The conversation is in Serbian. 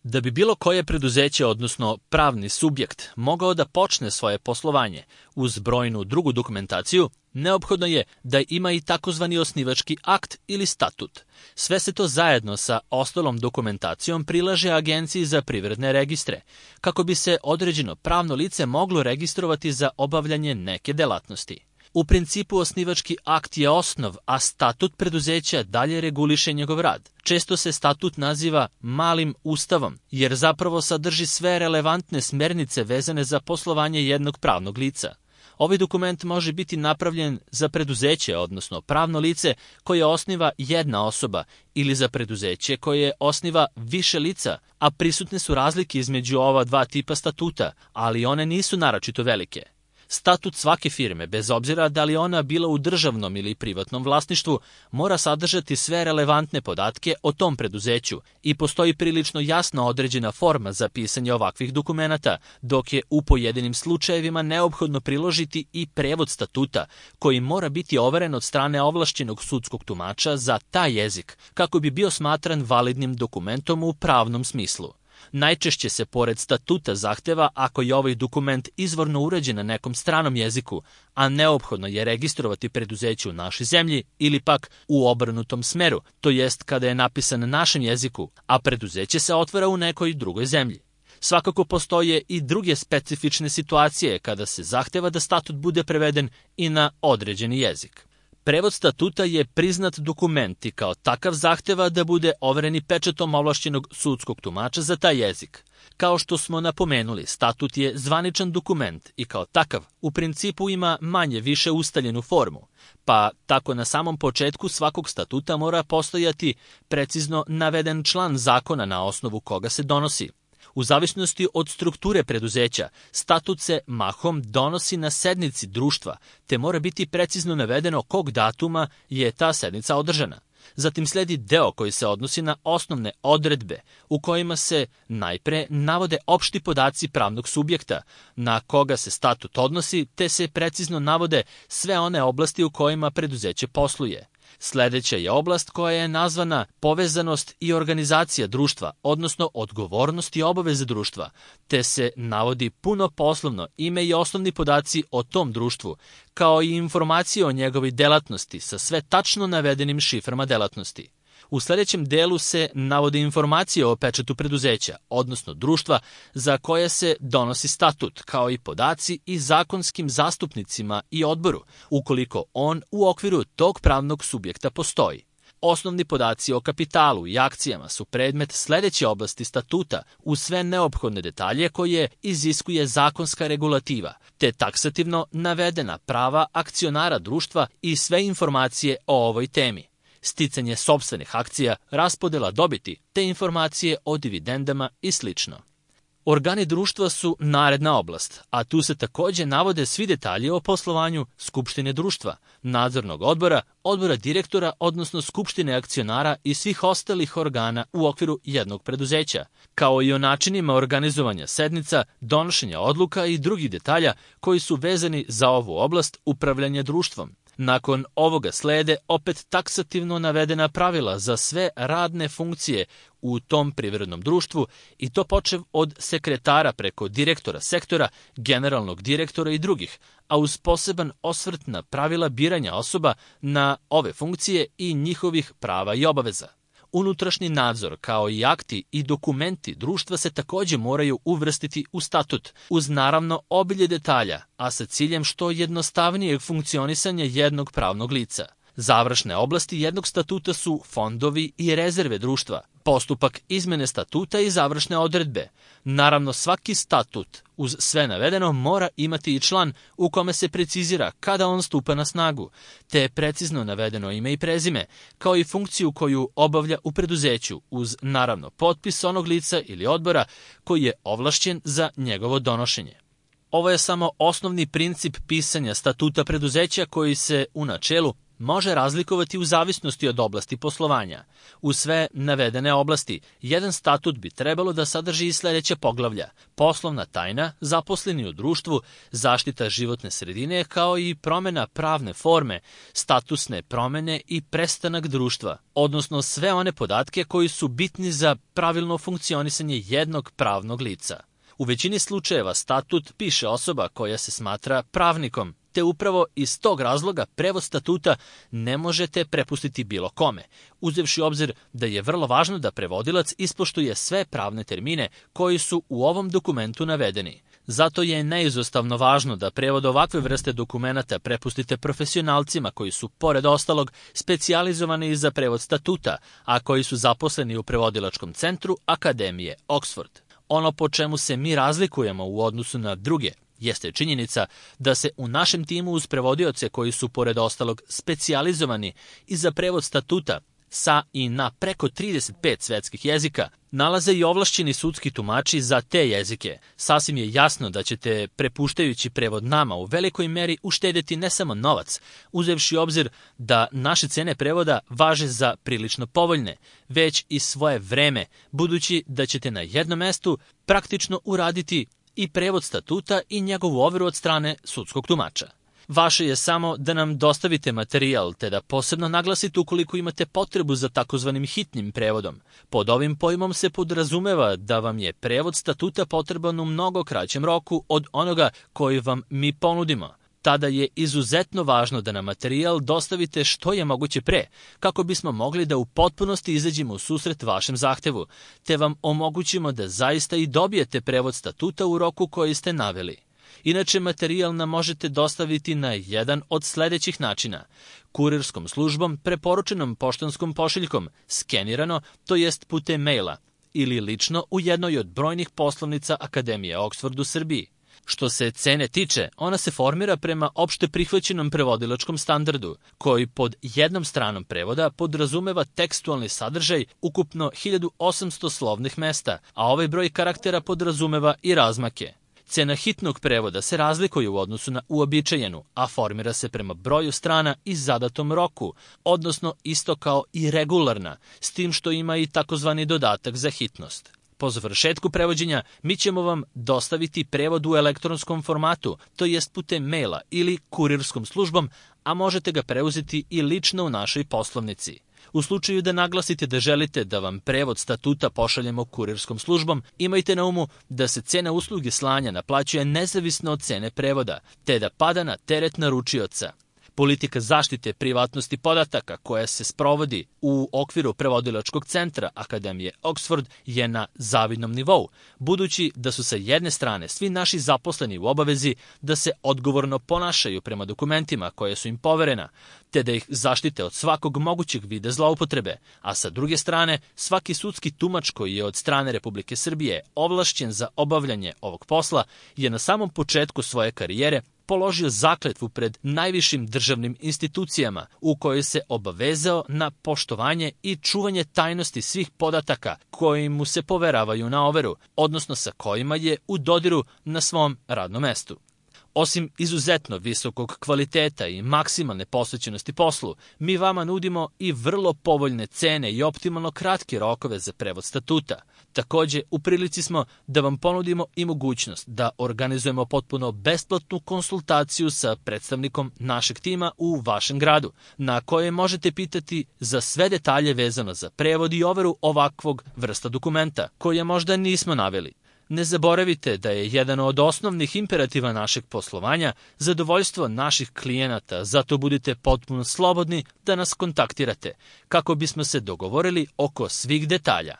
Da bi bilo koje preduzeće, odnosno pravni subjekt, mogao da počne svoje poslovanje uz brojnu drugu dokumentaciju, neophodno je da ima i takozvani osnivački akt ili statut. Sve se to zajedno sa ostalom dokumentacijom prilaže Agenciji za privredne registre, kako bi se određeno pravno lice moglo registrovati za obavljanje neke delatnosti. U principu osnivački akt je osnov, a statut preduzeća dalje reguliše njegov rad. Često se statut naziva malim ustavom, jer zapravo sadrži sve relevantne smernice vezane za poslovanje jednog pravnog lica. Ovaj dokument može biti napravljen za preduzeće, odnosno pravno lice koje osniva jedna osoba, ili za preduzeće koje osniva više lica, a prisutne su razlike između ova dva tipa statuta, ali one nisu naročito velike. Statut svake firme, bez obzira da li ona bila u državnom ili privatnom vlasništvu, mora sadržati sve relevantne podatke o tom preduzeću i postoji prilično jasno određena forma za pisanje ovakvih dokumenata, dok je u pojedinim slučajevima neophodno priložiti i prevod statuta, koji mora biti overen od strane ovlašćenog sudskog tumača za taj jezik, kako bi bio smatran validnim dokumentom u pravnom smislu. Najčešće se pored statuta zahteva ako je ovaj dokument izvorno urađen na nekom stranom jeziku, a neophodno je registrovati preduzeće u našoj zemlji ili pak u obrnutom smeru, to jest kada je napisan na našem jeziku, a preduzeće se otvara u nekoj drugoj zemlji. Svakako postoje i druge specifične situacije kada se zahteva da statut bude preveden i na određeni jezik. Prevod statuta je priznat dokument i kao takav zahteva da bude overen i pečatom ovlašćenog sudskog tumača za taj jezik. Kao što smo napomenuli, statut je zvaničan dokument i kao takav u principu ima manje više ustaljenu formu, pa tako na samom početku svakog statuta mora postojati precizno naveden član zakona na osnovu koga se donosi. U zavisnosti od strukture preduzeća, statut se mahom donosi na sednici društva, te mora biti precizno navedeno kog datuma je ta sednica održana. Zatim sledi deo koji se odnosi na osnovne odredbe, u kojima se najpre navode opšti podaci pravnog subjekta, na koga se statut odnosi, te se precizno navode sve one oblasti u kojima preduzeće posluje. Sledeća je oblast koja je nazvana povezanost i organizacija društva, odnosno odgovornost i obaveze društva, te se navodi puno poslovno ime i osnovni podaci o tom društvu, kao i informacije o njegovoj delatnosti sa sve tačno navedenim šiframa delatnosti. U sledećem delu se navode informacije o pečatu preduzeća, odnosno društva za koje se donosi statut, kao i podaci i zakonskim zastupnicima i odboru, ukoliko on u okviru tog pravnog subjekta postoji. Osnovni podaci o kapitalu i akcijama su predmet sledeće oblasti statuta uz sve neophodne detalje koje iziskuje zakonska regulativa, te taksativno navedena prava akcionara društva i sve informacije o ovoj temi. Sticanje sopstvenih akcija, raspodela dobiti, te informacije o dividendama i sl. Organi društva su naredna oblast, a tu se takođe navode svi detalji o poslovanju skupštine društva, nadzornog odbora, odbora direktora, odnosno skupštine akcionara i svih ostalih organa u okviru jednog preduzeća, kao i o načinima organizovanja sednica, donošenja odluka i drugih detalja koji su vezani za ovu oblast upravljanja društvom. Nakon ovoga slede opet taksativno navedena pravila za sve radne funkcije u tom privrednom društvu i to počev od sekretara preko direktora sektora, generalnog direktora i drugih, a uz poseban osvrt na pravila biranja osoba na ove funkcije i njihovih prava i obaveza. Unutrašnji nadzor, kao i akti i dokumenti društva se takođe moraju uvrstiti u statut, uz naravno obilje detalja, a sa ciljem što jednostavnijeg funkcionisanja jednog pravnog lica. Završne oblasti jednog statuta su fondovi i rezerve društva, postupak izmene statuta i završne odredbe. Naravno, svaki statut uz sve navedeno mora imati i član u kome se precizira kada on stupa na snagu, te je precizno navedeno ime i prezime, kao i funkciju koju obavlja u preduzeću, uz naravno potpis onog lica ili odbora koji je ovlašćen za njegovo donošenje. Ovo je samo osnovni princip pisanja statuta preduzeća koji se u načelu može razlikovati u zavisnosti od oblasti poslovanja. U sve navedene oblasti, jedan statut bi trebalo da sadrži i sledeća poglavlja: poslovna tajna, zaposleni u društvu, zaštita životne sredine, kao i promena pravne forme, statusne promene i prestanak društva, odnosno sve one podatke koji su bitni za pravilno funkcionisanje jednog pravnog lica. U većini slučajeva statut piše osoba koja se smatra pravnikom, te upravo iz tog razloga prevod statuta ne možete prepustiti bilo kome, uzevši obzir da je vrlo važno da prevodilac ispoštuje sve pravne termine koji su u ovom dokumentu navedeni. Zato je neizostavno važno da prevod ovakve vrste dokumenata prepustite profesionalcima koji su, pored ostalog, specijalizovani za prevod statuta, a koji su zaposleni u prevodilačkom centru Akademije Oxford. Ono po čemu se mi razlikujemo u odnosu na druge jeste činjenica da se u našem timu uz prevodioce koji su, pored ostalog, specijalizovani i za prevod statuta sa i na preko 35 svetskih jezika, nalaze i ovlašćeni sudski tumači za te jezike. Sasvim je jasno da ćete, prepuštajući prevod nama, u velikoj meri uštedjeti ne samo novac, uzevši obzir da naše cene prevoda važe za prilično povoljne, već i svoje vreme, budući da ćete na jednom mestu praktično uraditi i prevod statuta i njegovu overu od strane sudskog tumača. Vaše je samo da nam dostavite materijal, te da posebno naglasite ukoliko imate potrebu za takozvanim hitnim prevodom. Pod ovim pojmom se podrazumeva da vam je prevod statuta potreban u mnogo kraćem roku od onoga koji vam mi ponudimo. Tada je izuzetno važno da nam materijal dostavite što je moguće pre, kako bismo mogli da u potpunosti izađemo u susret vašem zahtevu, te vam omogućimo da zaista i dobijete prevod statuta u roku koji ste naveli. Inače, materijal nam možete dostaviti na jedan od sledećih načina: kurirskom službom, preporučenom poštanskom pošiljkom, skenirano, to jest putem maila, ili lično u jednoj od brojnih poslovnica Akademije Oxford u Srbiji. Što se cene tiče, ona se formira prema opšte prihvaćenom prevodilačkom standardu, koji pod jednom stranom prevoda podrazumeva tekstualni sadržaj ukupno 1800 slovnih mesta, a ovaj broj karaktera podrazumeva i razmake. Cena hitnog prevoda se razlikuje u odnosu na uobičajenu, a formira se prema broju strana i zadatom roku, odnosno isto kao i regularna, s tim što ima i takozvani dodatak za hitnost. Po završetku prevođenja mi ćemo vam dostaviti prevod u elektronskom formatu, to jest putem maila ili kurirskom službom, a možete ga preuzeti i lično u našoj poslovnici. U slučaju da naglasite da želite da vam prevod statuta pošaljemo kurirskom službom, imajte na umu da se cena usluge slanja naplaćuje nezavisno od cene prevoda, te da pada na teret naručioca. Politika zaštite privatnosti podataka koja se sprovodi u okviru prevodilačkog centra Akademije Oxford je na zavidnom nivou, budući da su sa jedne strane svi naši zaposleni u obavezi da se odgovorno ponašaju prema dokumentima koje su im poverena, te da ih zaštite od svakog mogućeg vida zloupotrebe, a sa druge strane svaki sudski tumač koji je od strane Republike Srbije ovlašćen za obavljanje ovog posla je na samom početku svoje karijere položio zakletvu pred najvišim državnim institucijama u kojoj se obavezao na poštovanje i čuvanje tajnosti svih podataka koji mu se poveravaju na overu, odnosno sa kojima je u dodiru na svom radnom mestu. Osim izuzetno visokog kvaliteta i maksimalne posvećenosti poslu, mi vama nudimo i vrlo povoljne cene i optimalno kratke rokove za prevod statuta. Takođe, u prilici smo da vam ponudimo i mogućnost da organizujemo potpuno besplatnu konsultaciju sa predstavnikom našeg tima u vašem gradu, na koje možete pitati za sve detalje vezano za prevod i overu ovakvog vrsta dokumenta, koje možda nismo naveli. Ne zaboravite da je jedan od osnovnih imperativa našeg poslovanja zadovoljstvo naših klijenata, zato budite potpuno slobodni da nas kontaktirate, kako bismo se dogovorili oko svih detalja.